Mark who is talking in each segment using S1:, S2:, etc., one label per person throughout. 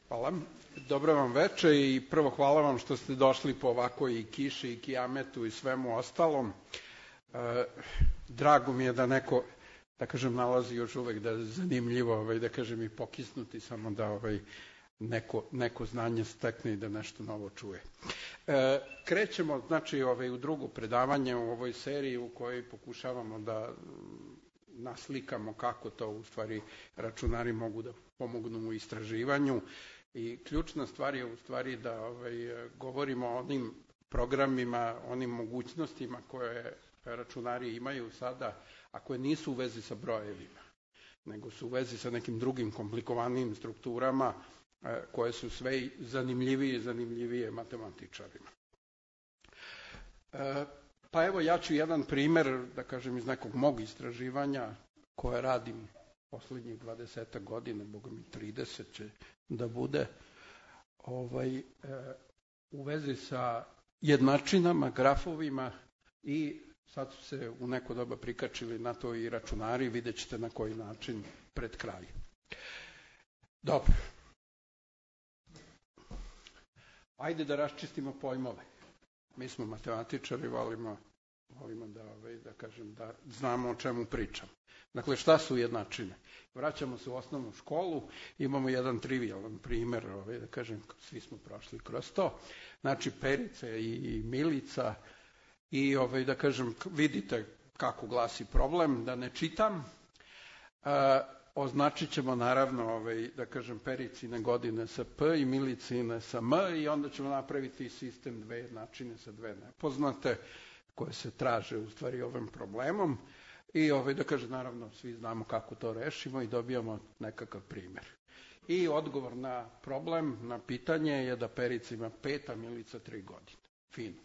S1: Hvala. Dobro vam veče i prvo hvala vam što ste došli po ovakoj i kiši i kijametu i svemu ostalom. Drago mi je da neko, da kažem, nalazi još uvek da je zanimljivo, da kažem, i pokisnuti, samo da neko znanje stekne i da nešto novo čuje. Krećemo, znači, u drugo predavanje u ovoj seriji u kojoj pokušavamo da naslikamo kako to u stvari računari mogu da pomognu u istraživanju. I ključna stvar je u stvari da govorimo o onim programima, onim mogućnostima koje računari imaju sada, a koje nisu u vezi sa brojevima, nego su u vezi sa nekim drugim komplikovanijim strukturama koje su sve zanimljivije i zanimljivije matematičarima. Pa evo, ja ću jedan primer, da kažem, iz nekog mog istraživanja koje radim poslednjih 20 godina, boga mi 30 će da bude, u vezi sa jednačinama, grafovima, i sad su se u neko doba prikačili na to i računari, vidjet ćete na koji način pred kraj. Dobro. Ajde da raščistimo pojmove. Mi smo matematičari, volimo da kažem, da znamo o čemu pričam. Dakle, šta su jednačine? Vraćamo se u osnovnu školu, imamo jedan trivialan primer, da kažem, svi smo prošli kroz to. Znači, Perica i Milica, i da kažem, vidite kako glasi problem, da ne čitam. Označit ćemo naravno, da kažem, Pericine godine sa P i Milicine sa M, i onda ćemo napraviti sistem dve jednačine sa dve nepoznate koje se traže u stvari ovim problemom. I da kažem, naravno, svi znamo kako to rešimo i dobijamo nekakav primer. I odgovor na problem, na pitanje je da Perica ima 5, a Milica 3 godine. Fino.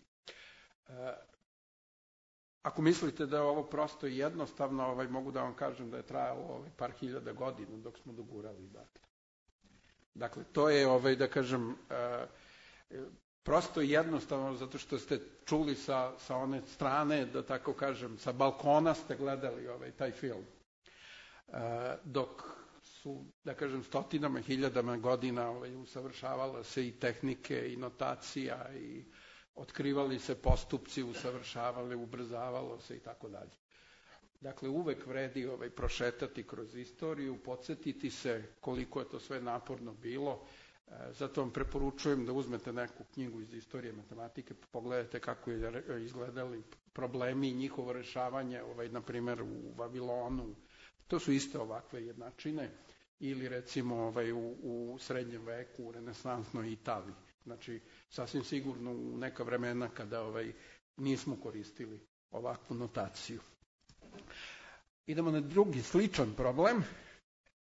S1: Ako mislite da je ovo prosto i jednostavno, mogu da vam kažem da je trajalo par hiljada godina dok smo dogurali. Dakle, to je, da kažem, prosto i jednostavno, zato što ste čuli sa one strane, da tako kažem, sa balkona ste gledali taj film. Dok su, da kažem, stotinama, hiljadama godina usavršavala se i tehnike i notacija i otkrivali se postupci, usavršavali, ubrzavalo se i tako dalje. Dakle, uvek vredi prošetati kroz istoriju, podsjetiti se koliko je to sve naporno bilo. Zato vam preporučujem da uzmete neku knjigu iz istorije matematike, pogledajte kako je izgledali problemi i njihovo rešavanje, na primjer u Vavilonu. To su iste ovakve jednačine, ili recimo u srednjem veku, u renesansnoj Italiji. Znači, sasvim sigurno u neka vremena kada nismo koristili ovakvu notaciju. Idemo na drugi sličan problem.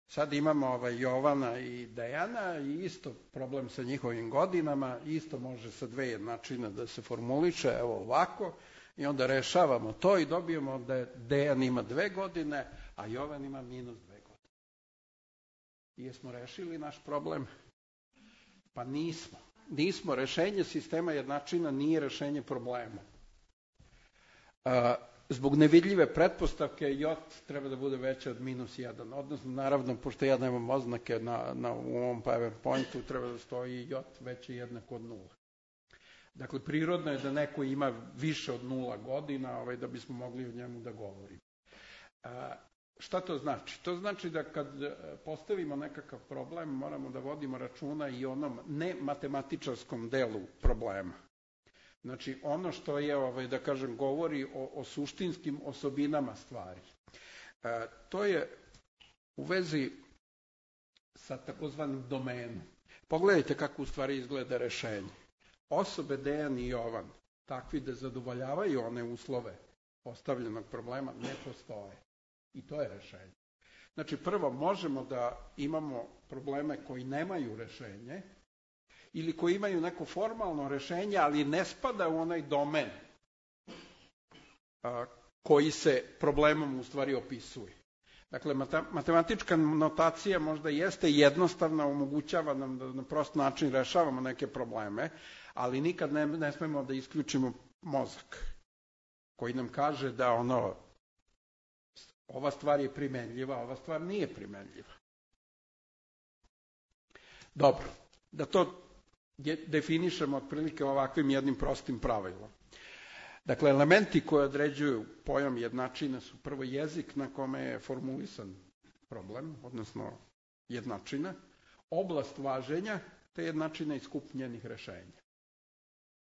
S1: Sad imamo Jovana i Dejana i isto problem sa njihovim godinama, isto može sa dve jednačine da se formuliše, evo ovako, i onda rešavamo to i dobijemo da Dejan ima 2 godine, a Jovan ima -2 godine. I jesmo rešili naš problem? Pa nismo. Nismo. Rešenje sistema jednačina nije rešenje problema. Zbog nevidljive pretpostavke J treba da bude veće od -1. Odnosno, naravno, pošto ja nemam oznake u ovom PowerPointu, treba da stoji J veće jednako od 0. Dakle, prirodno je da neko ima više od 0 godina da bismo mogli o njemu da govorimo. Šta to znači? To znači da kad postavimo nekakav problem, moramo da vodimo računa i onom nematematičarskom delu problema. Znači, ono što je, da kažem, govori o suštinskim osobinama stvari. To je u vezi sa takozvanim domenom. Pogledajte kako u stvari izgleda rešenje. Osobe Dejan i Jovan, takvi da zadovoljavaju one uslove postavljenog problema, ne postoje. I to je rešenje. Znači, prvo, možemo da imamo probleme koji nemaju rešenje, ili koji imaju neko formalno rešenje, ali ne spada u onaj domen koji se problemom u stvari opisuje. Dakle, matematička notacija možda jeste jednostavna, omogućava nam da na prost način rešavamo neke probleme, ali nikad ne smemo da isključimo mozak koji nam kaže da ova stvar je primenljiva, ova stvar nije primenljiva. Dobro, da to definišemo otprilike ovakvim jednim prostim pravilom. Dakle, elementi koji određuju pojam jednačine su prvo jezik na kome je formulisan problem, odnosno jednačina, oblast važenja, te jednačina i skup njenih rešenja.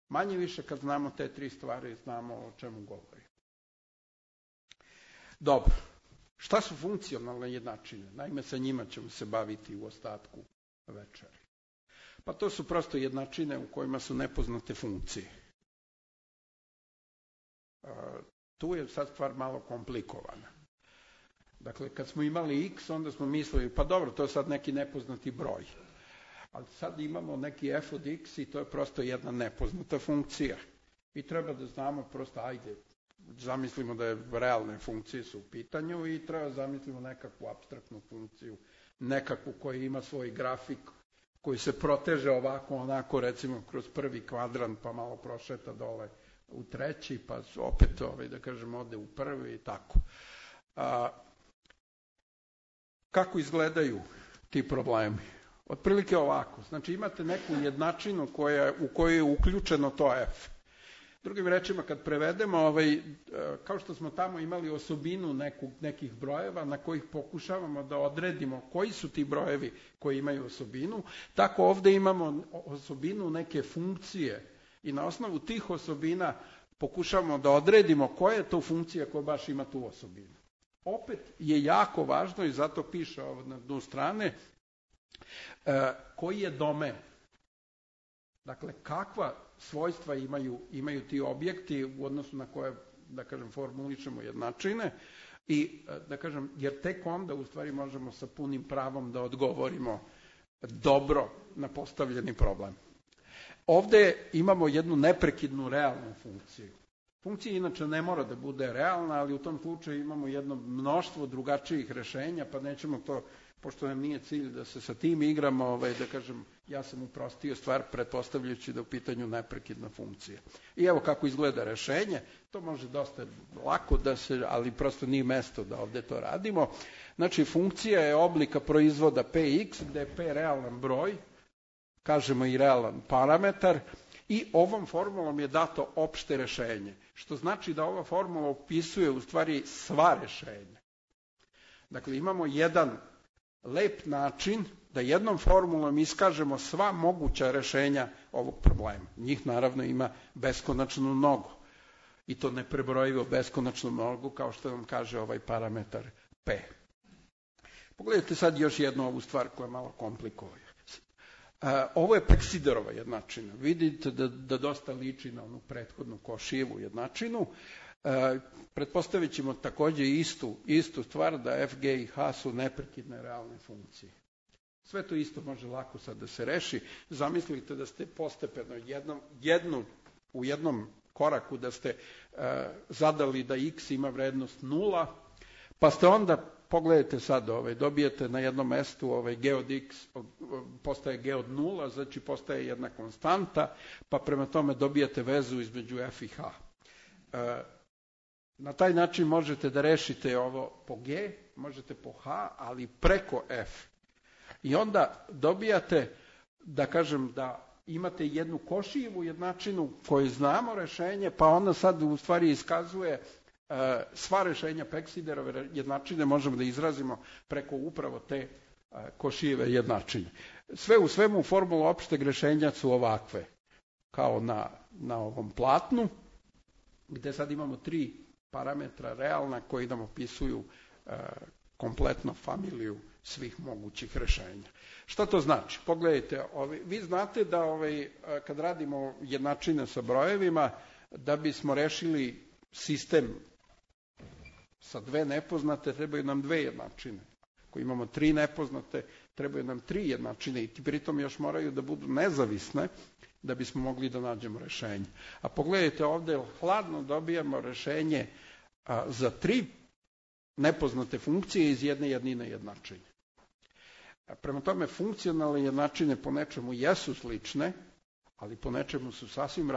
S1: Manje više kad znamo te tri stvari, znamo o čemu govori. Dobro, šta su funkcionalne jednačine? Naime, sa njima ćemo se baviti u ostatku večeri. Pa to su prosto jednačine u kojima su nepoznate funkcije. Tu je sad stvar malo komplikovana. Dakle, kad smo imali x, onda smo mislili, pa dobro, to je sad neki nepoznati broj. Ali sad imamo neki f od x i to je prosto jedna nepoznata funkcija. I treba da znamo prosto, ajde, zamislimo da je realne funkcije su u pitanju i treba zamislimo nekakvu apstraktnu funkciju, nekakvu koja ima svoj grafik, koji se proteže ovako, onako, recimo kroz prvi kvadrant, pa malo prošeta dole u treći, pa opet, da kažem, ode u prvi i tako. Kako izgledaju ti problemi? Otprilike ovako. Znači imate neku jednačinu u kojoj je uključeno to f. Drugim rečima, kad prevedemo, kao što smo tamo imali osobinu nekih brojeva na kojih pokušavamo da odredimo koji su ti brojevi koji imaju osobinu, tako ovdje imamo osobinu neke funkcije i na osnovu tih osobina pokušavamo da odredimo koja je to funkcija koja baš ima tu osobinu. Opet je jako važno i zato piše ovo na dnu strane, koji je domen. Dakle, kakva svojstva imaju ti objekti u odnosu na koje, da kažem, formuličemo jednačine i, da kažem, jer tek onda u stvari možemo sa punim pravom da odgovorimo dobro na postavljeni problem. Ovdje imamo jednu neprekidnu realnu funkciju. Funkcija inače ne mora da bude realna, ali u tom slučaju imamo jedno mnoštvo drugačijih rešenja, pa nećemo to, pošto nam nije cilj da se sa tim igramo, da kažem, ja sam uprostio stvar pretpostavljajući da u pitanju neprekidna funkcija. I evo kako izgleda rešenje, to može dosta lako da se, ali prosto nije mesto da ovdje to radimo. Znači, funkcija je oblika proizvoda px, gde je p realan broj, kažemo i realan parametar, i ovom formulom je dato opšte rešenje, što znači da ova formula opisuje u stvari sva rešenja. Dakle, imamo jedan lep način da jednom formulom iskažemo sva moguća rešenja ovog problema. Njih naravno ima beskonačno mnogo. I to neprebrojivo beskonačno mnogo, kao što vam kaže ovaj parametar p. Pogledajte sad još jednu ovu stvar koja malo komplikuje. Ovo je Peksiderova jednačina. Vidite da dosta liči na onu prethodnu Košijevu jednačinu. Pretpostavit ćemo također istu stvar da f, g i h su neprekidne realne funkcije. Sve to isto može lako sad da se reši. Zamislite da ste postepeno u jednom koraku da ste zadali da x ima vrednost 0, pa ste onda, pogledajte sad, dobijete na jednom mestu g od x postaje g od 0, znači postaje jedna konstanta, pa prema tome dobijete vezu između f i h. Na taj način možete da rešite ovo po g, možete po h, ali preko f. I onda dobijate, da kažem, da imate jednu Košijevu jednačinu koju znamo rešenje, pa ona sad u stvari iskazuje sva rešenja Peksiderove jednačine možemo da izrazimo preko upravo te Košijeve jednačine. Sve u svemu formula opšteg rešenja su ovakve, kao na ovom platnu, gde sad imamo 3 parametra realna koji nam opisuju kompletno familiju svih mogućih rešenja. Šta to znači? Pogledajte, vi znate da kad radimo jednačine sa brojevima, da bismo rešili sistem sa 2 nepoznate, trebaju nam 2 jednačine. Ako imamo 3 nepoznate, trebaju nam 3 jednačine i pritom još moraju da budu nezavisne da bismo mogli da nađemo rešenje. A pogledajte ovdje, hladno dobijamo rešenje za 3 nepoznate funkcije iz jedne jednine jednačine. Prema tome, funkcionalne jednačine po nečemu jesu slične, ali po nečemu su sasvim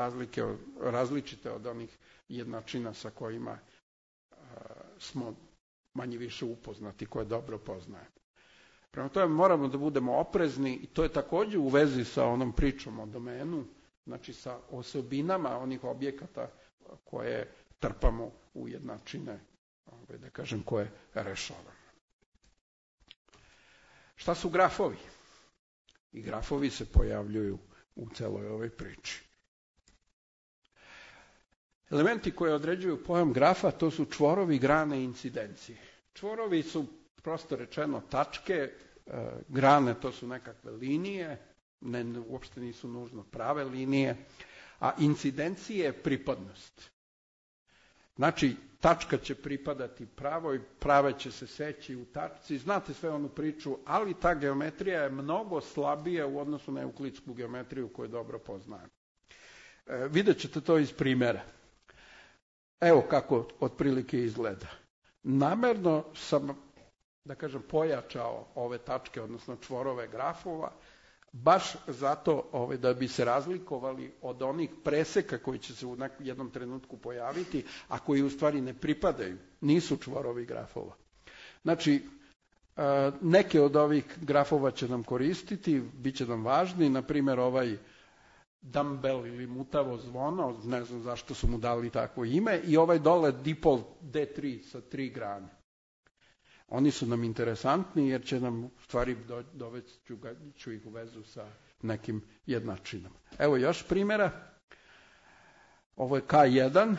S1: različite od onih jednačina sa kojima smo manje više upoznati, koje dobro poznajemo. Prema tome moramo da budemo oprezni i to je takođe u vezi sa onom pričom o domenu, znači sa osobinama onih objekata koje trpamo u jednačine, da kažem, koje rešavamo. Šta su grafovi? I grafovi se pojavljuju u celoj ovoj priči. Elementi koje određuju pojam grafa, to su čvorovi, grane i incidencije. Čvorovi su, prosto rečeno, tačke, grane to su nekakve linije, uopšte nisu nužno prave linije, a incidencije je pripadnost. Znači, tačka će pripadati pravoj, prava će se seći u tačci, znate sve onu priču, ali ta geometrija je mnogo slabija u odnosu na euklidsku geometriju koju dobro poznajemo. Vidjet ćete to iz primjera. Evo kako otprilike izgleda. Namerno sam, da kažem, pojačao ove tačke, odnosno čvorove grafova, baš zato da bi se razlikovali od onih preseka koji će se u jednom trenutku pojaviti, a koji u stvari ne pripadaju, nisu čvorovi grafova. Znači, neke od ovih grafova će nam koristiti, bit će nam važni, na primjer ovaj dumbbell ili mutavo zvono, ne znam zašto su mu dali takvo ime, i ovaj dole dipol D3 sa 3 grane. Oni su nam interesantni jer će nam u stvari dovesti ću ih u vezu sa nekim jednačinama. Evo još primjera. Ovo je K1,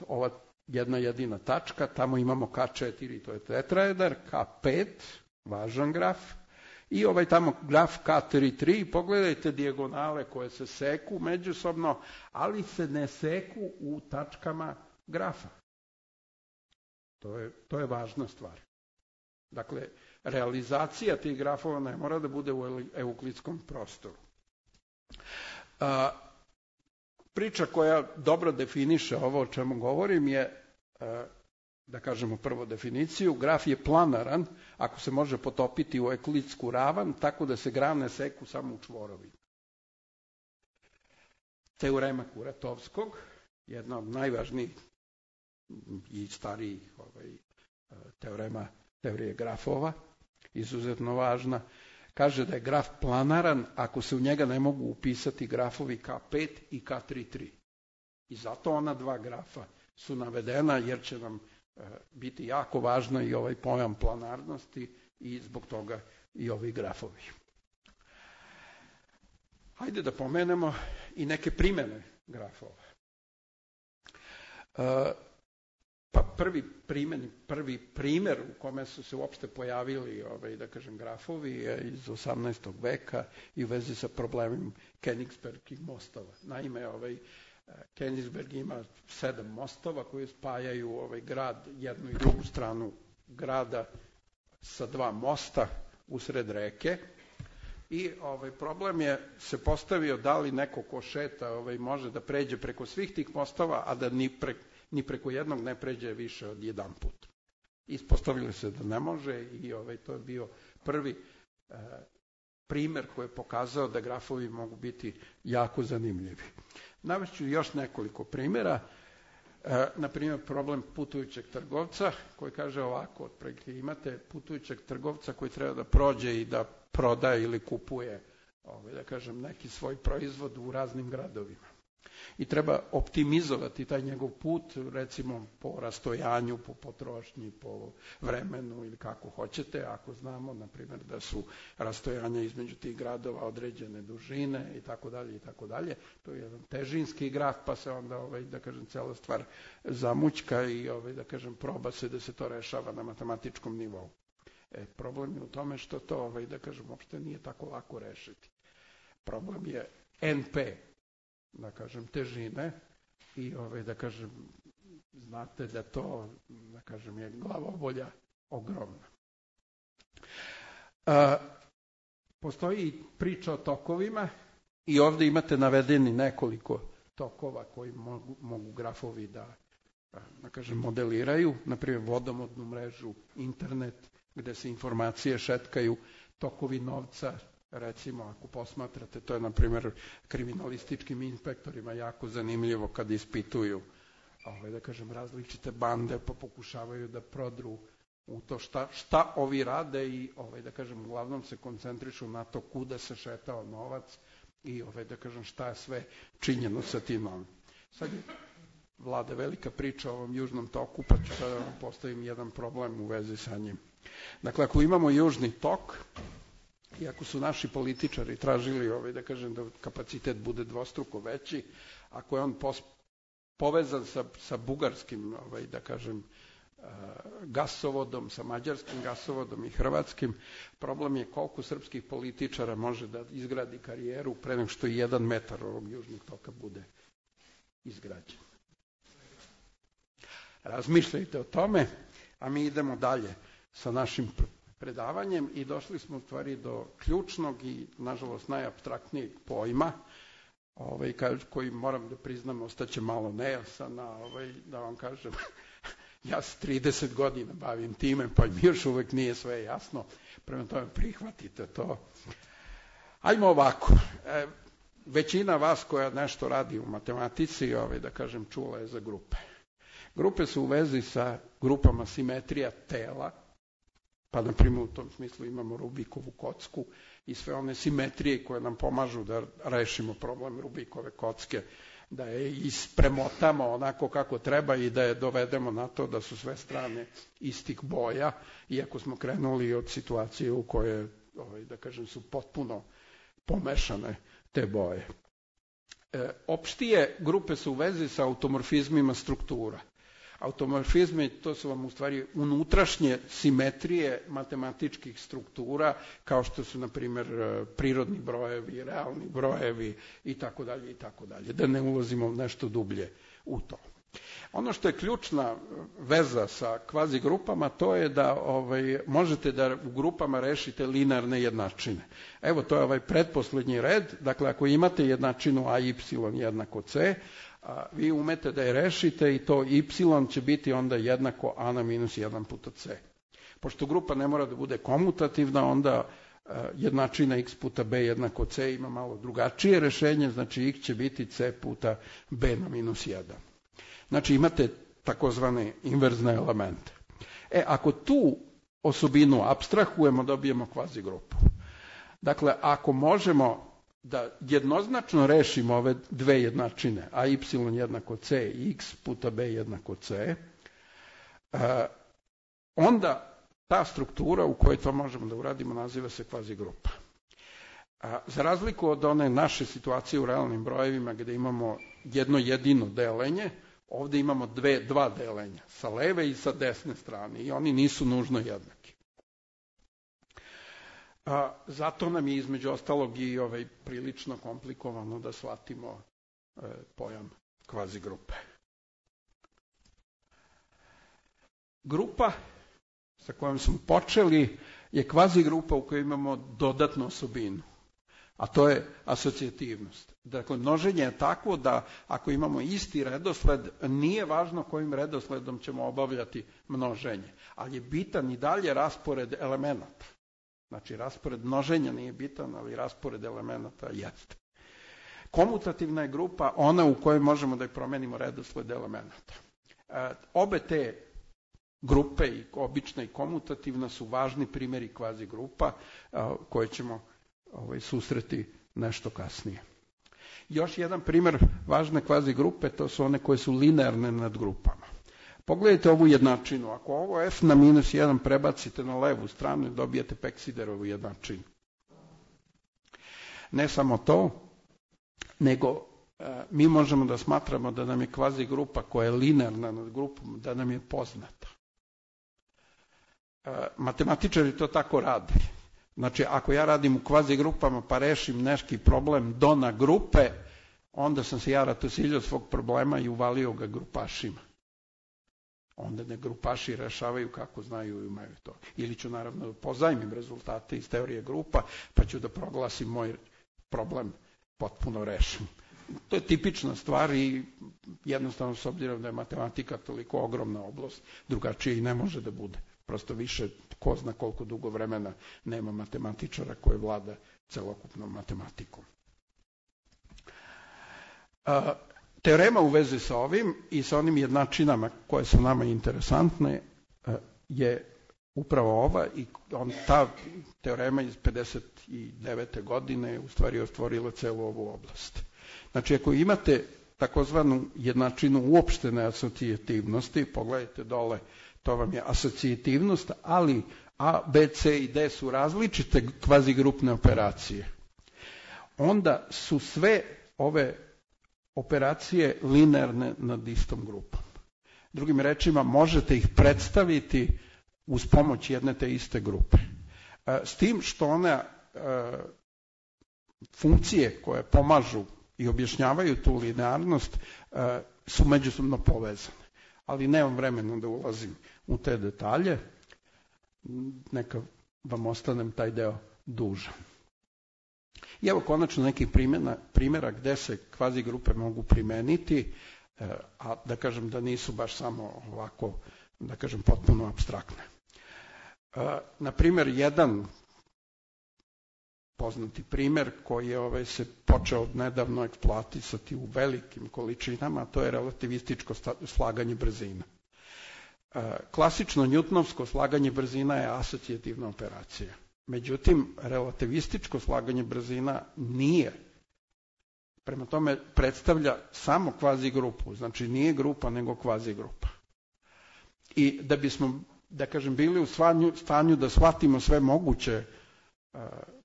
S1: ova jedna jedina tačka, tamo imamo K4, to je tetraeder, K5, važan graf, i ovaj tamo graf K3, pogledajte dijagonale koje se seku međusobno, ali se ne seku u tačkama grafa. To je važna stvar. Dakle, realizacija tih grafova ne mora da bude u euklidskom prostoru. Priča koja dobro definiše ovo o čemu govorim je, da kažemo prvo definiciju, graf je planaran ako se može potopiti u euklidsku ravan tako da se grane seku samo u čvorovima. Teorema Kuratovskog, jedna od najvažnijih i starijih teorema teorije grafova, izuzetno važna, kaže da je graf planaran ako se u njega ne mogu upisati grafovi K5 i K3. I zato ona dva grafa su navedena jer će nam biti jako važno i ovaj pojam planarnosti i zbog toga i ovi grafovi. Hajde da pomenemo i neke primjene grafova. Pa prvi primjer u kome su se uopšte pojavili, da kažem, grafovi je iz 18. veka i u vezi sa problemom Königsbergskih mostova. Naime, Königsberg ima 7 mostova koji spajaju grad, jednu i drugu stranu grada sa 2 mosta usred reke. I problem je se postavio da li neko ko šeta može da pređe preko svih tih mostova, a da ni preko jednog ne pređe više od jedan put. Ispostavilo se da ne može i to je bio prvi primjer koji je pokazao da grafovi mogu biti jako zanimljivi. Navešću još nekoliko primjera. Na primjer, problem putujućeg trgovca koji kaže ovako, otprilike imate putujućeg trgovca koji treba da prođe i da prodaje ili kupuje, da kažem, neki svoj proizvod u raznim gradovima. I treba optimizovati taj njegov put, recimo po rastojanju, po potrošnji, po vremenu ili kako hoćete, ako znamo, na primjer, da su rastojanja između tih gradova određene dužine i tako dalje i tako dalje. To je jedan težinski graf, pa se onda, da kažem, cela stvar zamućka i, da kažem, proba se da se to rešava na matematičkom nivou. Problem je u tome što to, da kažem, uopšte nije tako lako rešiti. Problem je NP, da kažem, težine i, da kažem, znate da to, da kažem, je glavobolja ogromna. Postoji priča o tokovima i ovdje imate navedeni nekoliko tokova koji mogu grafovi da kažem, modeliraju, naprimjer vodovodnu mrežu, internet, gde se informacije šetkaju, tokovi novca. Recimo, ako posmatrate, to je, na primjer, kriminalističkim inspektorima jako zanimljivo kad ispituju, da kažem, različite bande, pa pokušavaju da prodru u to šta ovi rade i da kažem uglavnom se koncentrišu na to kuda se šetao novac i da kažem šta je sve činjeno sa tim novim. Sad je vlada velika priča o ovom južnom toku, pa ću sada vam postavim jedan problem u vezi sa njim. Dakle, ako imamo južni tok, i ako su naši političari tražili da kažem da kapacitet bude dvostruko veći, ako je on povezan sa bugarskim, da kažem, gasovodom, sa mađarskim gasovodom i hrvatskim, problem je koliko srpskih političara može da izgradi karijeru pre nego što 1 metar ovog južnog toka bude izgrađen. Razmišljajte o tome, a mi idemo dalje sa našim predavanjem i došli smo u stvari do ključnog i nažalost najapstraktnijeg pojma, koji moram da priznam ostaće malo nejasan, da vam kažem, ja se 30 godina bavim time, pa mi još uvek nije sve jasno, prema tome prihvatite to. Ajmo ovako, većina vas koja nešto radi u matematici, da kažem, čula je za grupe. Grupe su u vezi sa grupama simetrija tela, pa na primjer u tom smislu imamo Rubikovu kocku i sve one simetrije koje nam pomažu da rešimo problem Rubikove kocke, da je ispremotamo onako kako treba i da je dovedemo na to da su sve strane istih boja, iako smo krenuli od situacije u kojoj, da kažem, su potpuno pomešane te boje. Opštije grupe su u vezi sa automorfizmima struktura. Automorfizmi, to su vam u stvari unutrašnje simetrije matematičkih struktura, kao što su, na primjer, prirodni brojevi, realni brojevi i tako dalje, da ne ulazimo nešto dublje u to. Ono što je ključna veza sa kvazi grupama, to je da možete da u grupama rešite linearne jednačine. Evo, to je ovaj pretposlednji red, dakle, ako imate jednačinu a y jednako c, vi umete da je rešite i to y će biti onda jednako a na minus 1 puta c. Pošto grupa ne mora da bude komutativna, onda jednačina x puta b jednako c ima malo drugačije rešenje, znači x će biti c puta b na minus 1. Znači imate takozvane inverzne elemente. Ako tu osobinu apstrahujemo, dobijemo kvazi grupu. Dakle, ako možemo da jednoznačno rešimo ove dve jednačine, a y jednako c i x puta b jednako c, onda ta struktura u kojoj to možemo da uradimo naziva se kvazi grupa. Za razliku od one naše situacije u realnim brojevima gde imamo jedno jedino delenje, ovde imamo dva delenja, sa leve i sa desne strane i oni nisu nužno jednaki. Zato nam je između ostalog i prilično komplikovano da shvatimo pojam kvazi grupe. Grupa sa kojom smo počeli je kvazi grupa u kojoj imamo dodatnu osobinu, a to je asocijativnost. Dakle, množenje je takvo da ako imamo isti redosled, nije važno kojim redosledom ćemo obavljati množenje, ali je bitan i dalje raspored elemenata. Znači, raspored množenja nije bitan, ali raspored elemenata jeste. Komutativna je grupa ona u kojoj možemo da promenimo redosled elemenata. Obe te grupe, i obična i komutativna, su važni primjeri kvazi grupa koje ćemo susreti nešto kasnije. Još jedan primjer važne kvazi grupe, to su one koje su linearne nad grupama. Pogledajte ovu jednačinu. Ako ovo f na minus 1 prebacite na levu stranu, dobijete Peksiderovu jednačinu. Ne samo to, nego mi možemo da smatramo da nam je kvazi grupa koja je linearna nad grupom, da nam je poznata. Matematičari to tako rade. Znači, ako ja radim u kvazi grupama pa rešim neki problem dona grupe, onda sam se ja ratosiljio svog problema i uvalio ga grupašima. Onda ne grupaši rešavaju kako znaju i imaju to. Ili ću naravno pozajmim rezultate iz teorije grupa, pa ću da proglasim moj problem potpuno rešen. To je tipična stvar i jednostavno, s obzirom da je matematika toliko ogromna oblast, drugačije i ne može da bude. Prosto više, ko zna koliko dugo vremena nema matematičara koji vlada celokupnom matematikom. Teorema u vezi sa ovim i sa onim jednačinama koje su nama interesantne je upravo ova i ta teorema iz 59. godine je u stvari otvorila celu ovu oblast. Znači, ako imate takozvanu jednačinu uopštene asocijativnosti, pogledajte dole, to vam je asocijativnost, ali A, B, C i D su različite kvazigrupne operacije. Onda su sve ove operacije linearne nad istom grupom. Drugim rečima, možete ih predstaviti uz pomoć jedne te iste grupe. S tim što one funkcije koje pomažu i objašnjavaju tu linearnost su međusobno povezane. Ali nemam vremena da ulazim u te detalje. Neka vam ostanem taj deo dužan. I evo konačno nekih primjera gde se kvazigrupe mogu primeniti, a da kažem da nisu baš samo ovako, da kažem, potpuno apstraktne. Na primjer, jedan poznati primjer koji je se počeo nedavno eksploatisati u velikim količinama, to je relativističko slaganje brzina. Klasično njutnovsko slaganje brzina je asocijativna operacija. Međutim, relativističko slaganje brzina nije. Prema tome predstavlja samo kvazigrupu, znači nije grupa nego kvazigrupa. I da bismo, da kažem, bili u stanju da shvatimo sve moguće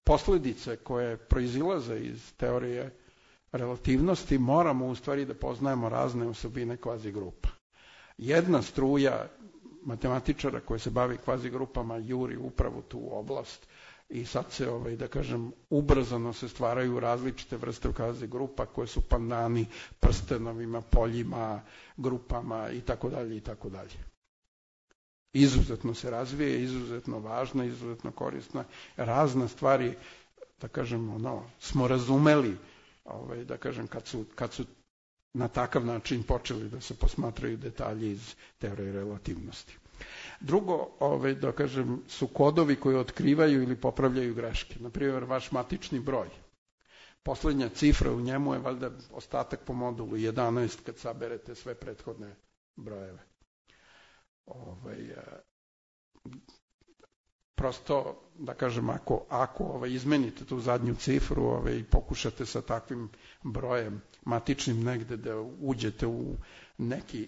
S1: posljedice koje proizilaze iz teorije relativnosti, moramo u stvari da poznajemo razne osobine kvazigrupa. Jedna struja matematičara koja se bavi kvazigrupama juri upravo tu oblast i sad se, da kažem, ubrzano se stvaraju različite vrste kvazigrupa koje su pandani prstenovima, poljima, grupama i tako dalje i tako dalje. Izuzetno se razvije, izuzetno važna, izuzetno korisna. Razne stvari, da kažem, smo razumeli, da kažem, kad su na takav način počeli da se posmatraju detalji iz teorije relativnosti. Drugo, da kažem, su kodovi koji otkrivaju ili popravljaju greške. Naprimjer, vaš matični broj. Poslednja cifra u njemu je valjda ostatak po modulu 11 kad saberete sve prethodne brojeve. Prosto, da kažem, ako izmenite tu zadnju cifru i pokušate sa takvim brojem matičnim negde da uđete u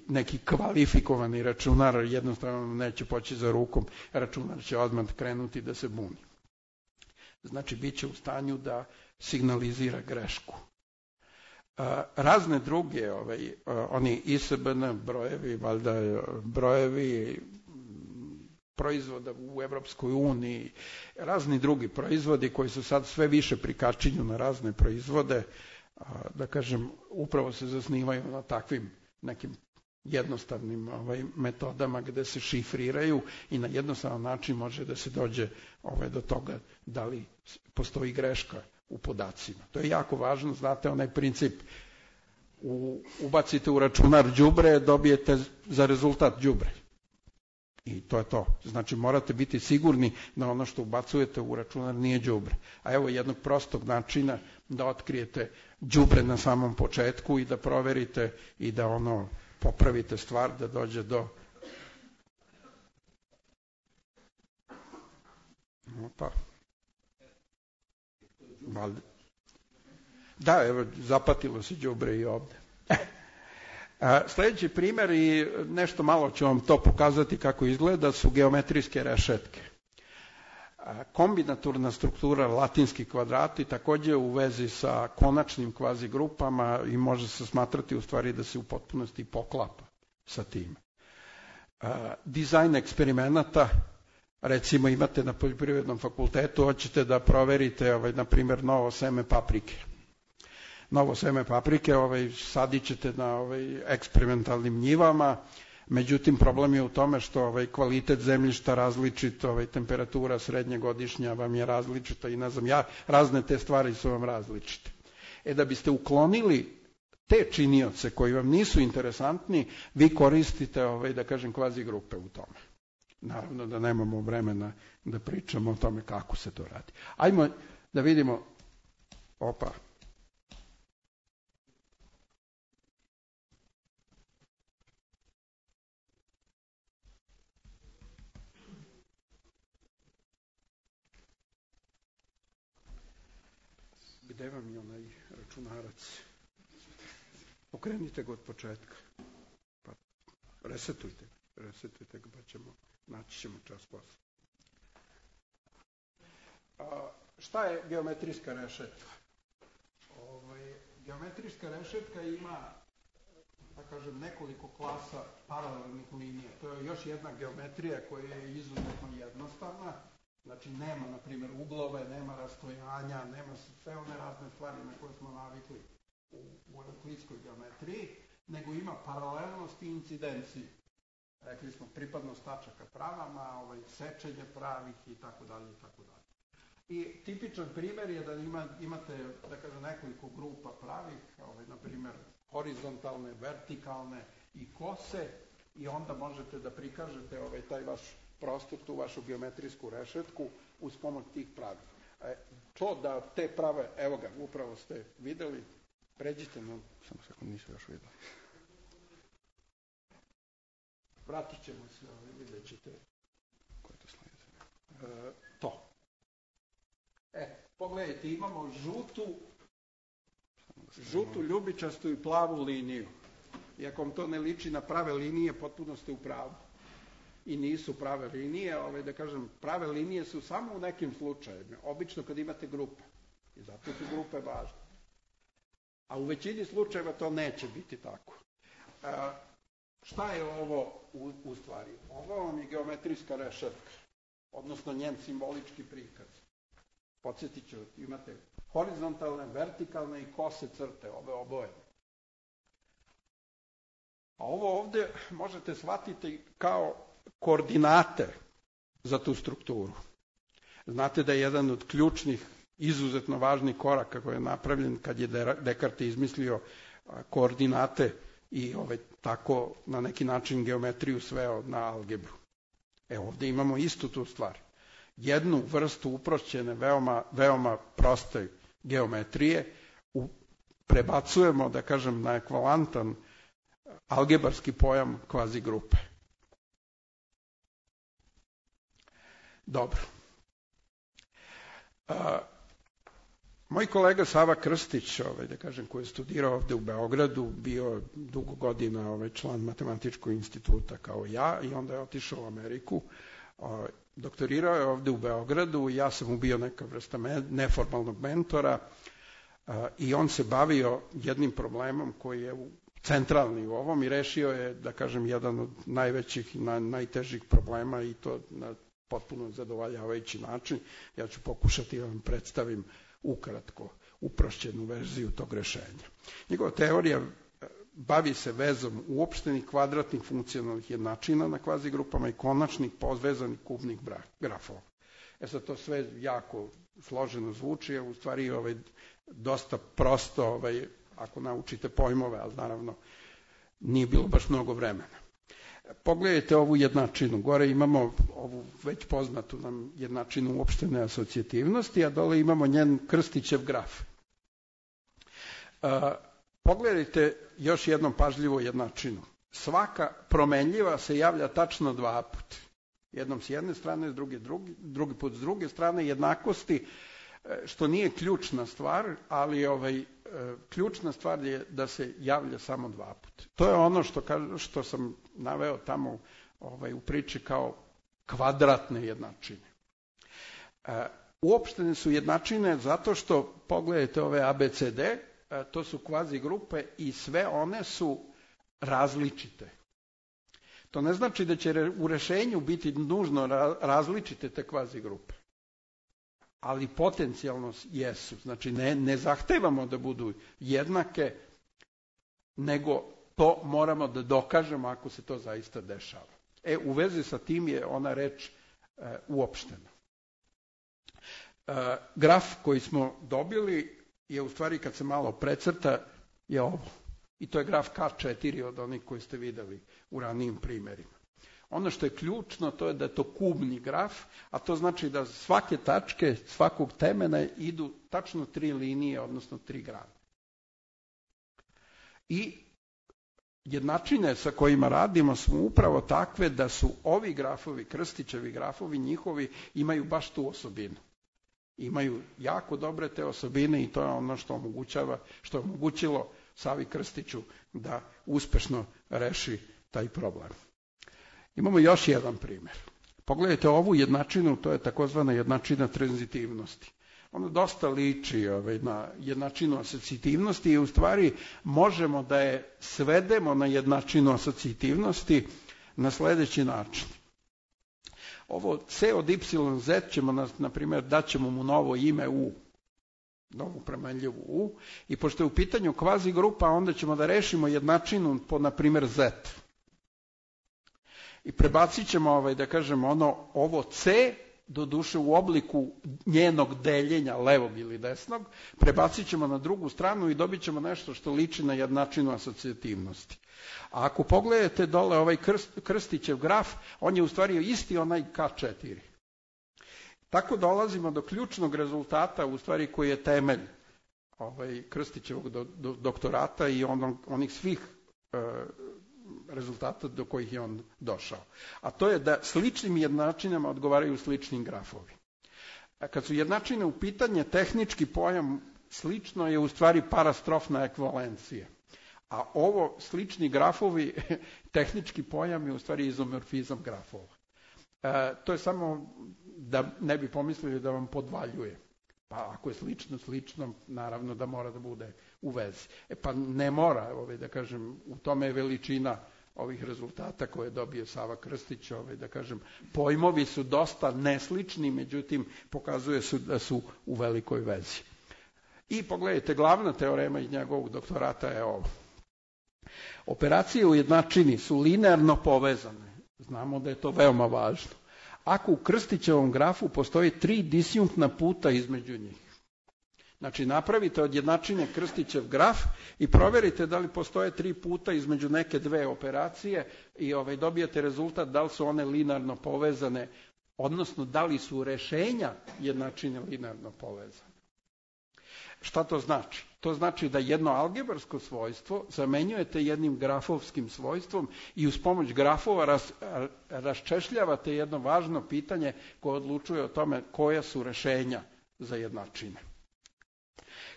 S1: neki kvalifikovani računar, jednostavno neće poći za rukom, računar će odmah krenuti da se buni. Znači, bit će u stanju da signalizira grešku. Razne druge, oni ISBN brojevi, valjda brojevi proizvoda u Evropskoj uniji, razni drugi proizvodi koji su sad sve više prikačinju na razne proizvode, da kažem, upravo se zasnivaju na takvim nekim jednostavnim metodama gde se šifriraju i na jednostavan način može da se dođe do toga da li postoji greška u podacima. To je jako važno, znate onaj princip, ubacite u računar đubre, dobijete za rezultat đubre. I to je to. Znači morate biti sigurni da ono što ubacujete u računar nije đubre. A evo jednog prostog načina da otkrijete đubre na samom početku i da proverite i da popravite stvar da dođe do... Opa. Da, evo, zapatilo se đubre i ovde. Sljedeći primjer, i nešto malo ću vam to pokazati kako izgleda, su geometrijske rešetke. Kombinatorna struktura latinski kvadrati takođe u vezi sa konačnim kvazigrupama i može se smatrati u stvari da se u potpunosti poklapa sa tim. Dizajn eksperimenata, recimo imate na poljoprivrednom fakultetu, hoćete da proverite, na primjer, novo seme paprike. Novo seme paprike sadit ćete na eksperimentalnim njivama, međutim problem je u tome što kvalitet zemljišta različit, temperatura srednjegodišnja vam je različita i ne znam ja, razne te stvari su vam različite. Da biste uklonili te činioce koji vam nisu interesantni, vi koristite, da kažem, kvazigrupe u tome. Naravno da nemamo vremena da pričamo o tome kako se to radi. Ajmo da vidimo, Gde vam je onaj računarac? Pokrenite ga od početka. Pa resetujte ga, pa naći ćemo čas posle. Šta je geometrijska rešetka? Geometrijska rešetka ima, da kažem, nekoliko klasa paralelnih linija. To je još jedna geometrija koja je izuzetno jednostavna. Znači, nema, na primjer, uglove, nema rastojanja, nema sve one razne stvari na koje smo navikli u euklidskoj geometriji, nego ima paralelnost i incidenciju. Rekli smo pripadnost tačaka pravama, sečenje pravih i tako dalje i tako dalje. I tipičan primjer je da imate, da kažem, nekoliko grupa pravih, na primjer, horizontalne, vertikalne i kose, i onda možete da prikažete taj vaš prostor, tu vašu geometrijsku rešetku uz pomoć tih pravih. To da te prave, evo ga, upravo ste videli, pređite na... Samo sekund, nisu još videli. Vratit ćemo se, vidjet ćete. Koje to slide? To. Pogledajte, imamo žutu ljubičastu i plavu liniju. I ako vam to ne liči na prave linije, potpuno ste u pravu. I nisu prave linije, da kažem, prave linije su samo u nekim slučajevima, obično kad imate grupe. I zato su grupe važne. A u većini slučajeva to neće biti tako. Šta je ovo u stvari? Ovo vam je geometrijska rešetka, odnosno njen simbolički prikaz. Podsjetit ću, imate horizontalne, vertikalne i kose crte, ove oboje. A ovo ovde možete shvatiti kao koordinate za tu strukturu. Znate da je jedan od ključnih, izuzetno važnih koraka koji je napravljen kad je Descartes izmislio koordinate i tako na neki način geometriju sveo na algebru. Ovde imamo istu tu stvar. Jednu vrstu uprošćene, veoma proste geometrije prebacujemo, da kažem, na ekvivalentan algebarski pojam kvazi grupe. Dobro. Moj kolega Sava Krstić, da kažem, koji je studirao ovde u Beogradu, bio dugo godina član Matematičkog instituta kao ja i onda je otišao u Ameriku. Doktorirao je ovde u Beogradu i ja sam mu bio neka vrsta neformalnog mentora i on se bavio jednim problemom koji je centralni u ovom i rešio je, da kažem, jedan od najvećih i najtežih problema i to na potpuno zadovoljavajući način. Ja ću pokušati da vam predstavim ukratko uprošćenu verziju tog rešenja. Njegova teorija bavi se vezom uopštenih kvadratnih funkcionalnih jednačina na kvazigrupama i konačnih povezanih kubnih grafova. Sad to sve jako složeno zvuči, a u stvari dosta prosto ako naučite pojmove, ali naravno nije bilo baš mnogo vremena. Pogledajte ovu jednačinu. Gore imamo ovu već poznatu nam jednačinu uopštene asocijativnosti, a dole imamo njen Krstićev graf. Pogledajte još jednom pažljivo jednačinu. Svaka promenljiva se javlja tačno dva puta. Jednom s jedne strane, drugi put s druge strane, jednakosti, što nije ključna stvar, ali ključna stvar je da se javlja samo dva puta. To je ono što sam naveo tamo u priči kao kvadratne jednačine. Uopštene su jednačine zato što, pogledajte ove ABCD, to su kvazi grupe i sve one su različite. To ne znači da će u rešenju biti nužno različite te kvazi grupe, ali potencijalno jesu. Znači ne zahtevamo da budu jednake, nego to moramo da dokažemo ako se to zaista dešava. U vezi sa tim je ona reč uopštena. Graf koji smo dobili je u stvari kad se malo precrta je ovo. I to je graf K4 od onih koji ste videli u ranijim primjerima. Ono što je ključno to je da je to kubni graf, a to znači da svake tačke, svakog temena idu tačno 3 linije, odnosno 3 grane. I jednačine sa kojima radimo su upravo takve da su ovi grafovi, Krstićevi grafovi, njihovi imaju baš tu osobinu. Imaju jako dobre te osobine i to je ono što je omogućilo Savi Krstiću da uspešno reši taj problem. Imamo još jedan primjer. Pogledajte ovu jednačinu, to je takozvana jednačina tranzitivnosti. Ona dosta liči na jednačinu asocijativnosti i u stvari možemo da je svedemo na jednačinu asocijativnosti na sledeći način. Ovo C od YZ ćemo, na primjer, daćemo mu novo ime U, novu premenljivu U, i pošto je u pitanju kvazi grupa, onda ćemo da rešimo jednačinu po, na primjer, Z. I prebacit ćemo, da kažemo, ovo C, doduše u obliku njenog deljenja, levog ili desnog, prebacit ćemo na drugu stranu i dobit ćemo nešto što liči na jednačinu asocijativnosti. A ako pogledate dole ovaj Krstićev graf, on je u stvari isti onaj K4. Tako dolazimo do ključnog rezultata, u stvari koji je temelj Krstićevog doktorata i onih svih rezultata do kojih je on došao. A to je da sličnim jednačinama odgovaraju sličnim grafovi. Kad su jednačine u pitanje, tehnički pojam slično je u stvari parastrofna ekvivalencija. A ovo slični grafovi, tehnički pojam je u stvari izomorfizam grafova. To je samo da ne bi pomislili da vam podvaljuje. Pa ako je slično, naravno da mora da bude u vezi. Pa ne mora, da kažem, u tome je veličina ovih rezultata koje je dobio Sava Krstić, da kažem, pojmovi su dosta neslični, međutim, pokazuje se da su u velikoj vezi. I pogledajte, glavna teorema iz njegovog doktorata je ovo. Operacije u jednačini su linearno povezane. Znamo da je to veoma važno. Ako u Krstićevom grafu postoji 3 disjunktna puta između njih. Znači, napravite od jednačine Krstićev graf i proverite da li postoje 3 puta između neke dve operacije i dobijete rezultat da li su one linearno povezane, odnosno da li su rešenja jednačine linearno povezane. Šta to znači? To znači da jedno algebarsko svojstvo zamenjujete jednim grafovskim svojstvom i uz pomoć grafova raščešljavate jedno važno pitanje koje odlučuje o tome koja su rešenja za jednačine.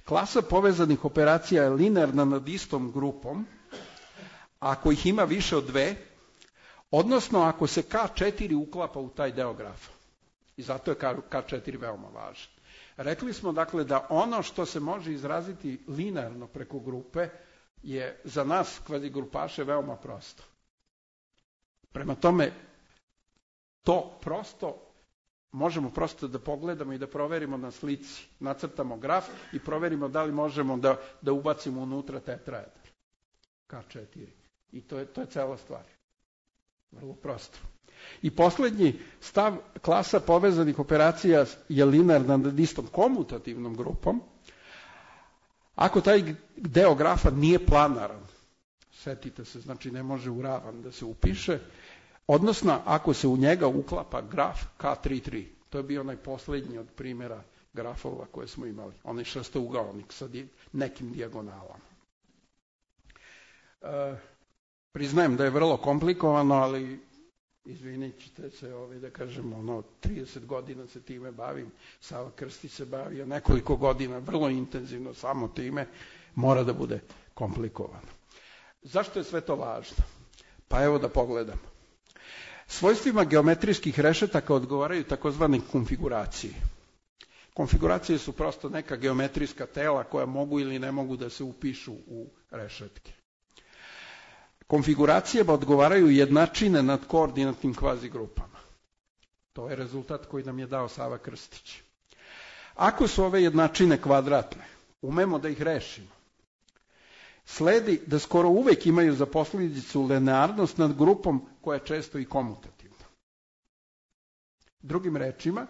S1: Klasa povezanih operacija je linearna nad istom grupom ako ih ima više od 2, odnosno ako se K4 uklapa u taj deo grafa. I zato je K4 veoma važan. Rekli smo, dakle, da ono što se može izraziti linearno preko grupe je za nas kvazigrupaše veoma prosto. Prema tome, to prosto možemo prosto da pogledamo i da proverimo na slici. Nacrtamo graf i proverimo da li možemo da ubacimo unutra tetraedar. K4. I to je cela stvar. Vrlo prosto. I poslednji stav, klasa povezanih operacija je linearna nad istom komutativnom grupom. Ako taj deo grafa nije planaran, setite se, znači ne može u ravan da se upiše, odnosno ako se u njega uklapa graf K33. To je bio onaj poslednji od primjera grafova koje smo imali. Onaj šestougaonik sa nekim dijagonalama. Priznajem da je vrlo komplikovano, ali izvinit ćete se, da kažem, 30 godina se time bavim, Sava Krstić se bavio nekoliko godina, vrlo intenzivno samo time, mora da bude komplikovano. Zašto je sve to važno? Pa evo da pogledamo. Svojstvima geometrijskih rešetaka odgovaraju takozvane konfiguracije. Konfiguracije su prosto neka geometrijska tela koja mogu ili ne mogu da se upišu u rešetke. Konfiguracijama odgovaraju jednačine nad koordinatnim kvazigrupama. To je rezultat koji nam je dao Sava Krstić. Ako su ove jednačine kvadratne, umemo da ih rešimo. Sledi da skoro uvek imaju za posledicu linearnost nad grupom koja je često i komutativna. Drugim rečima,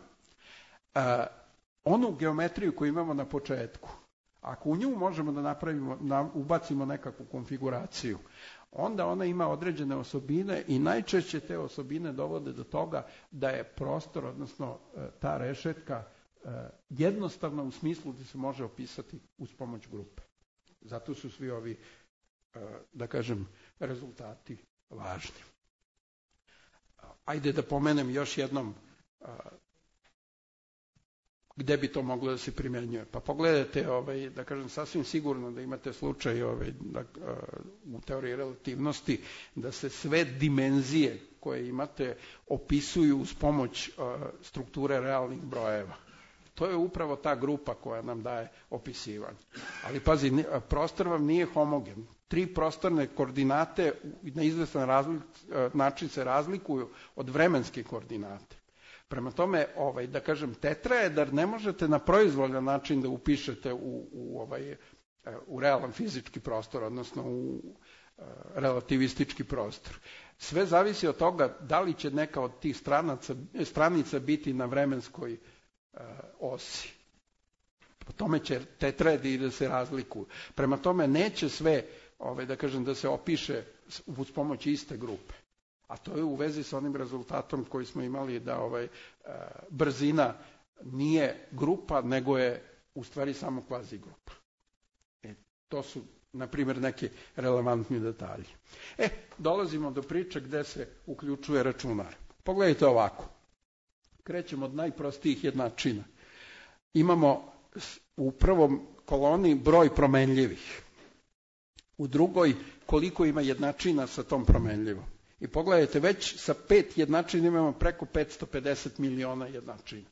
S1: onu geometriju koju imamo na početku, ako u nju možemo da ubacimo nekakvu konfiguraciju, onda ona ima određene osobine i najčešće te osobine dovode do toga da je prostor, odnosno ta rešetka, jednostavna u smislu da se može opisati uz pomoć grupe. Zato su svi ovi, da kažem, rezultati važni. Ajde da pomenem još jednom gde bi to moglo da se primjenjuje. Pa pogledajte, da kažem, sasvim sigurno da imate slučaj u teoriji relativnosti da se sve dimenzije koje imate opisuju uz pomoć strukture realnih brojeva. To je upravo ta grupa koja nam daje opisivanje. Ali pazi, prostor vam nije homogen. 3 prostorne koordinate na izvestan način se razlikuju od vremenske koordinate. Prema tome, da kažem, tetraedar ne možete na proizvoljan način da upišete u realan fizički prostor, odnosno u relativistički prostor. Sve zavisi od toga da li će neka od tih stranica biti na vremenskoj osi. Po tome će tetraedi da se razlikuju. Prema tome, neće sve, da kažem, da se opiše uz pomoć iste grupe. A to je u vezi sa onim rezultatom koji smo imali da brzina nije grupa, nego je u stvari samo kvazi grupa. To su, na primjer, neki relevantni detalji. Dolazimo do priče gde se uključuje računar. Pogledajte ovako. Krećemo od najprostijih jednačina. Imamo u prvom koloni broj promenljivih. U drugoj koliko ima jednačina sa tom promenljivom. I pogledajte, već sa 5 jednačina imamo preko 550 miliona jednačina.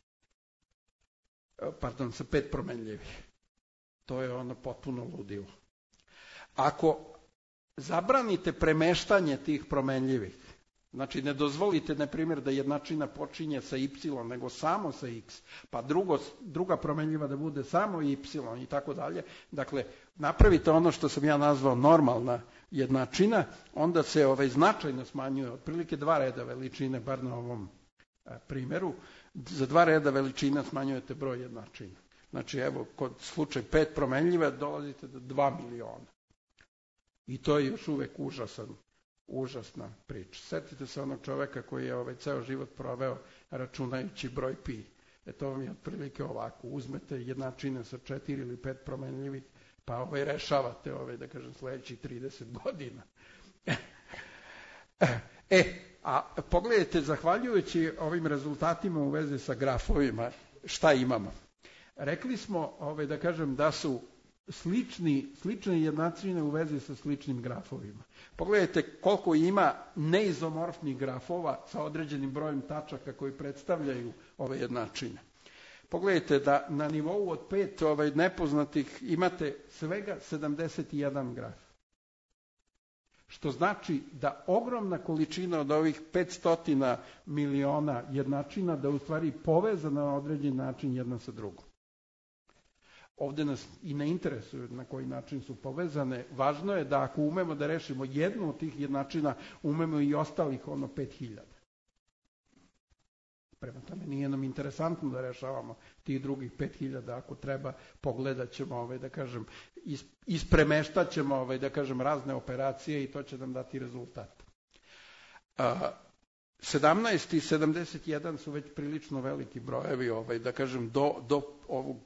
S1: Pardon, sa 5 promenljivih. To je ono potpuno ludilo. Ako zabranite premeštanje tih promenljivih, znači ne dozvolite, na primjer, da jednačina počinje sa y, nego samo sa x, pa druga promenljiva da bude samo y i tako dalje. Dakle, napravite ono što sam ja nazvao normalna jednačina, onda se značajno smanjuje, otprilike 2 reda veličine, bar na ovom primjeru, za 2 reda veličina smanjujete broj jednačina. Znači, evo, kod slučaj 5 promenljiva dolazite do 2 miliona. I to je još uvek užasna priča. Setite se onog čoveka koji je ceo život proveo računajući broj pi. To vam je otprilike ovako. Uzmete jednačine sa 4 ili 5 promenljivih, pa rešavate da kažem sledećih 30 godina. A pogledajte, zahvaljujući ovim rezultatima u vezi sa grafovima, šta imamo? Rekli smo, da kažem, da su slične jednačine u vezi sa sličnim grafovima. Pogledajte koliko ima neizomorfnih grafova sa određenim brojem tačaka koji predstavljaju ove jednačine. Pogledajte da na nivou od 5 nepoznatih imate svega 71 graf. Što znači da ogromna količina od ovih 500 miliona jednačina da u stvari povezana na određen način jedna sa drugom. Ovde nas i ne interesuje na koji način su povezane. Važno je da ako umemo da rešimo jednu od tih jednačina, umemo i ostalih 5000. Prema tome, nije nam interesantno da rešavamo tih drugih 5000, ako treba, pogledat ćemo, da kažem, ispremeštat ćemo, da kažem, razne operacije i to će nam dati rezultat. 17 i 71 su već prilično veliki brojevi, da kažem, do ovog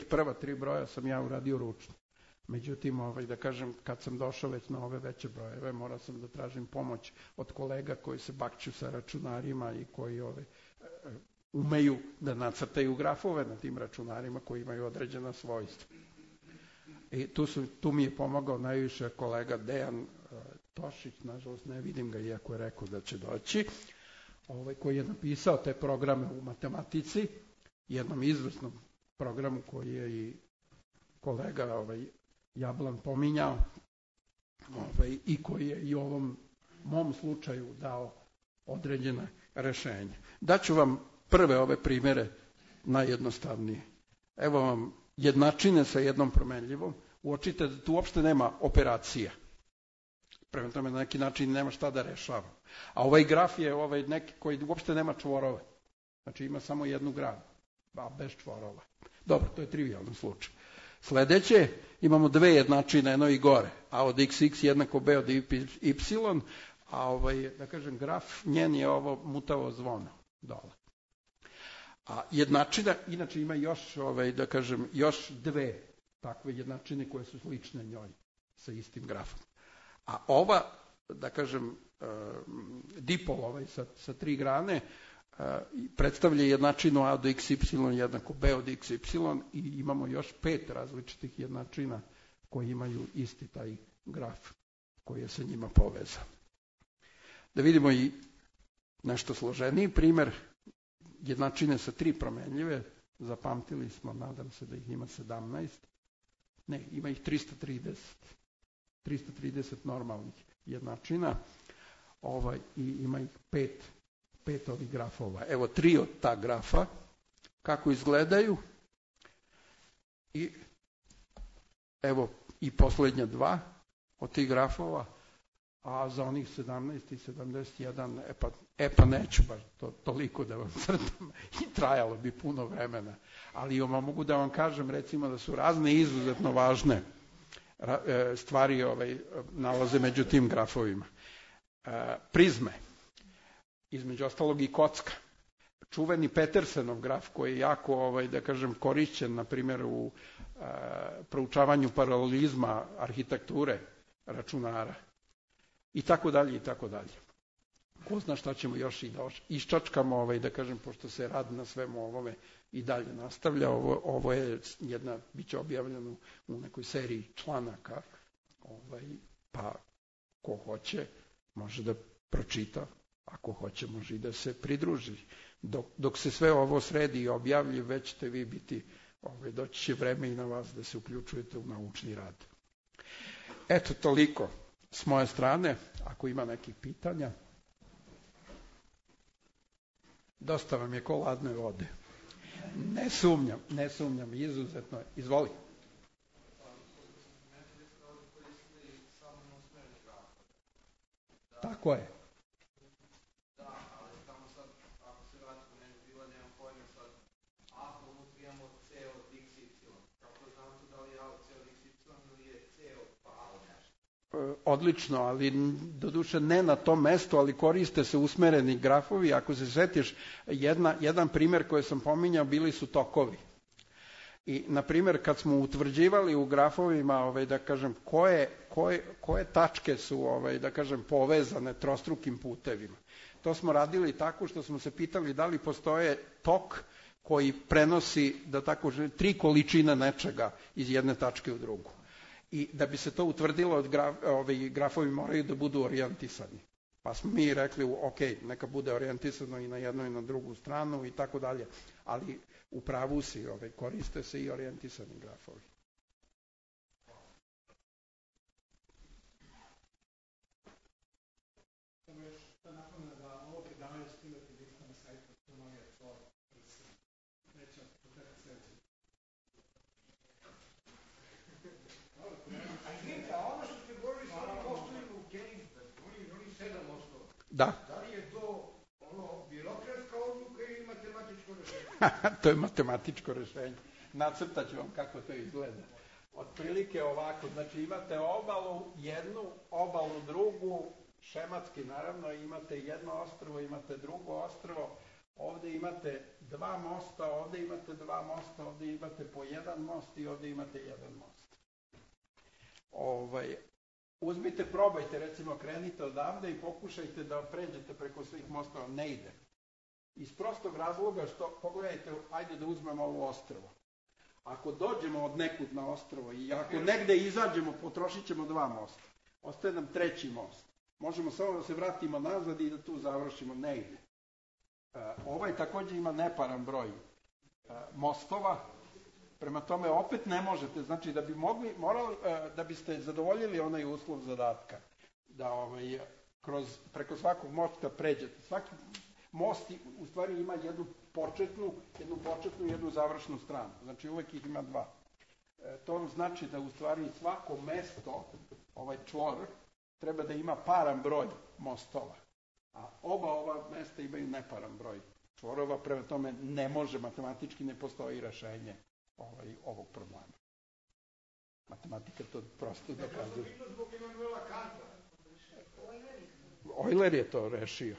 S1: prva 3 broja sam ja uradio ručno. Međutim, da kažem, kad sam došao već na ove veće brojeve, morao sam da tražim pomoć od kolega koji se bakću sa računarima i koji umeju da nacrtaju grafove na tim računarima koji imaju određena svojstva. I tu mi je pomogao najviše kolega Dejan Tošić, nažalost ne vidim ga, iako je rekao da će doći, koji je napisao te programe u matematici, jednom izvrsnom programu koji je i kolega Jablan pominjao i koji je i u ovom mom slučaju dao određene rešenja. Daću vam prve ove primere najjednostavnije. Evo vam jednačine sa jednom promenljivom. Uočite da tu uopšte nema operacija. Prema tome, na neki način nema šta da rešava. A ovaj graf je neki koji uopšte nema čvorove. Znači ima samo jednu granu, bez čvorova. Dobro, to je trivialan slučaj. Sledeće, imamo 2 jednačine, eno i gore, a od xx jednako b od y, a da kažem, graf njen je ovo mutavo zvono dole. A jednačina, inače ima još, da kažem, još 2 takve jednačine koje su slične njoj sa istim grafom. A ova, da kažem, dipol sa 3 grane, predstavlja jednačinu a do xy jednako b od xy i imamo još 5 različitih jednačina koji imaju isti taj graf koji je sa njima povezan. Da vidimo i nešto složeniji primjer jednačine sa 3 promenljive. Zapamtili smo, nadam se da ih ima 17. Ne, ima ih 330. 330 normalnih jednačina i ima ih 5 ovih grafova. Evo 3 od ta grafa, kako izgledaju. I evo i posljednja 2 od tih grafova, a za onih 17 i 71, pa neću baš toliko da vam crtam i trajalo bi puno vremena. Ali mogu da vam kažem recimo da su razne izuzetno važne stvari nalaze među tim grafovima. Prizme, između ostalog i kocka. Čuveni Petersenov graf koji je jako, da kažem, korišćen, na primjer, u proučavanju paralelizma arhitekture računara. I tako dalje, i tako dalje. Ko zna šta ćemo još i da iščačkamo, da kažem, pošto se rad na svemu ovome i dalje nastavlja. Ovo je bit će objavljeno u nekoj seriji članaka, pa ko hoće može da pročita, ako hoće može i da se pridruži. Dok se sve ovo sredi i objavlji, već ćete vi biti, doći će vreme i na vas da se uključujete u naučni rad. Eto, toliko s moje strane, ako ima nekih pitanja. Dosta vam je ko ladne vode. Ne sumnjam, izuzetno. Izvoli. Tako je. Odlično, ali doduše ne na tom mestu, ali koriste se usmereni grafovi. Ako se setiš, jedan primjer koji sam pominjao bili su tokovi. I, na primjer, kad smo utvrđivali u grafovima, da kažem, koje tačke su, da kažem, povezane trostrukim putevima. To smo radili tako što smo se pitali da li postoje tok koji prenosi, da tako kažem, 3 količine nečega iz jedne tačke u drugu. I da bi se to utvrdilo, grafovi moraju da budu orijentisani. Pa smo mi rekli, ok, neka bude orijentisano i na jednu i na drugu stranu i tako dalje. Ali u pravu si, koriste se i orijentisani grafovi.
S2: Samo još da napomenu da ovo predavanje skidati lista na sajtu Astronomija Cor. Neće početak sljedeći. A izvinite, a ono što ste govorili s onim osnovima u Königsbergu, oni 7 osnova.
S1: Da.
S2: Da li je to birokratska odluka ili matematičko rešenje?
S1: To je matematičko rešenje. Nacrtat ću vam kako to izgleda. Otprilike ovako, znači imate obalu jednu, obalu drugu, šematski naravno, imate jedno ostrvo, imate drugo ostrvo, ovdje imate 2 mosta, ovdje imate 2 mosta, ovdje imate po 1 most i ovdje imate 1 most. Uzmite, probajte, recimo krenite odavde i pokušajte da pređete preko svih mostova, ne ide. Iz prostog razloga što, pogledajte, ajde da uzmemo ovo ostrvo. Ako dođemo od nekud na ostrvo i ako negde izađemo, potrošit ćemo 2 mosta. Ostaje nam 3. most. Možemo samo da se vratimo nazad i da tu završimo, ne ide. Ovaj također ima neparan broj mostova, prema tome opet ne možete, znači da bi da biste zadovoljili onaj uslov zadatka, da preko svakog mosta pređete. Svaki most u stvari ima jednu početnu i jednu završnu stranu, znači uvek ih ima 2. To znači da u stvari svako mesto, ovaj čvor, treba da ima paran broj mostova, a oba ova mesta imaju neparan broj čvorova, prema tome ne može, matematički ne postoji rešenje ovog problema. Matematika to prosto dokazuje.
S2: To je zbog Emanuela Kanta.
S1: Euler je to rešio.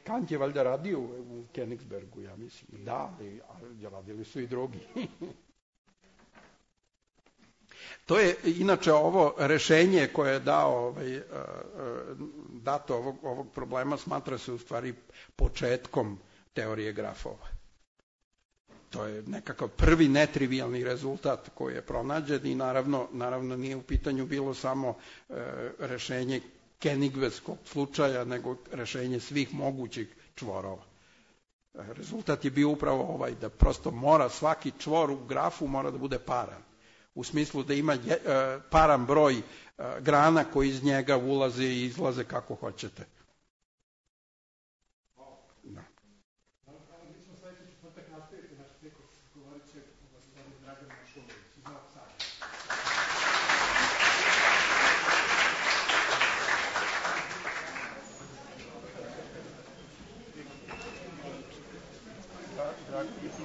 S1: Kant je valjda radio u Königsbergu, ja mislim. Da, ali radili su i drugi. To je inače ovo rešenje koje je dato ovog problema, smatra se u stvari početkom teorije grafova. To je nekakav prvi netrivijalni rezultat koji je pronađen i naravno nije u pitanju bilo samo rešenje Kenigveskog slučaja, nego rešenje svih mogućih čvorova. Rezultat je bio upravo ovaj, da prosto mora svaki čvor u grafu mora da bude paran. U smislu da ima paran broj grana koji iz njega ulaze i izlaze kako hoćete. Da.
S2: Mi smo sledeći četvrtak nastaviti naš ciklus, govorit će gospodin Dragan Mašulović iz Novog Sada.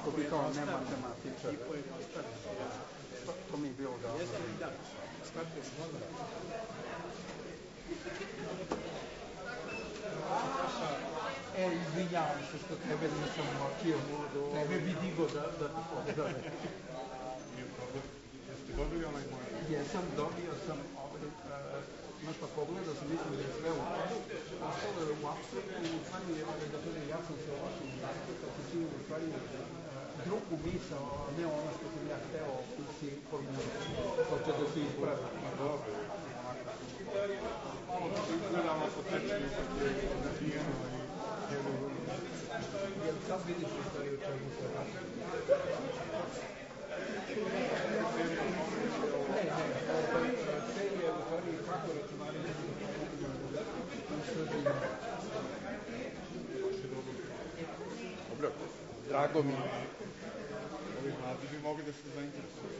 S1: Ko bi kao ne matematičar. To mi je bilo da... Izvinjavam se što tebe nisam močio. Tebe bi digo da ti pozdravim.
S2: Jeste dobili onaj moj?
S1: Jesam, dobio sam znaš pa pogledao sam, mislim da je sve u todu. Ostalo je u apsurdu i u stvari da kažem, ja sam se ovako nastupa se čini u stvari drugu misao, a ne ono što sam ja hteo si formulirati. Hoće da se ispravi.
S2: Dobro. Malo se izgledamo po tečenju kako je nabijeno i
S1: Jer sad vidiš u stvari u čemu se radi. Serija u stvari kako računarima Dobro, drago mi.
S2: ovi mladi bi mogli da se zainteresuju.